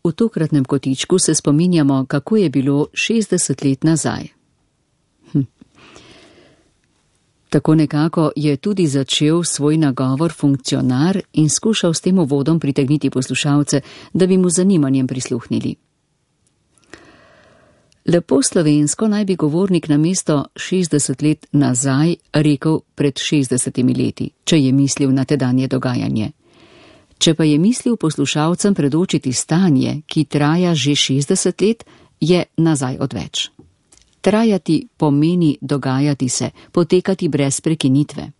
V tokratnem kotičku se spominjamo, kako je bilo 60 let nazaj. Tako nekako je tudi začel svoj nagovor funkcionar in skušal s tem uvodom pritegniti poslušalce, da bi mu zanimanjem prisluhnili. Lepo slovensko naj bi govornik namesto 60 let nazaj rekel pred 60 leti, če je mislil na tedanje dogajanje. Če pa je mislil poslušalcem predočiti stanje, ki traja že 60 let, je nazaj odveč. Trajati pomeni dogajati se, potekati brez prekinitve.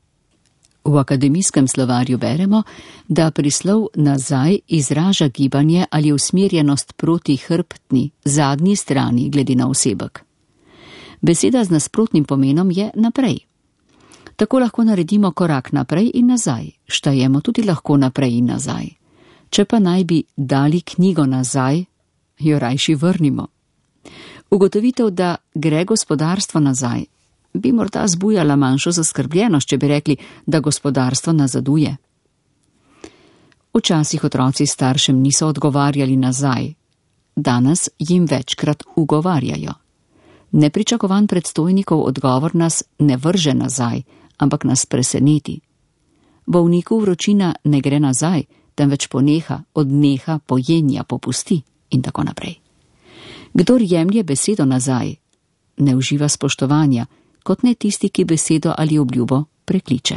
V akademijskem slovarju beremo, da prislov nazaj izraža gibanje ali usmerjenost proti hrbtni, zadnji strani glede na osebek. Beseda z nasprotnim pomenom je naprej. Tako lahko naredimo korak naprej in nazaj, štajemo tudi lahko naprej in nazaj. Če pa naj bi dali knjigo nazaj, jo rajši vrnimo. Ugotovitev, da gre gospodarstvo nazaj, bi morda zbujala manjšo zaskrbljenost, če bi rekli, da gospodarstvo nazaduje. Včasih otroci staršem niso odgovarjali nazaj, danes jim večkrat ugovarjajo. Nepričakovan predstojnikov odgovor nas ne vrže nazaj, ampak nas preseneti. Bolniku vročina ne gre nazaj, temveč poneha, odneha, pojenja, popusti in tako naprej. Kdor jemlje besedo nazaj, ne uživa spoštovanja, kot ne tisti, ki besedo ali obljubo prekliče.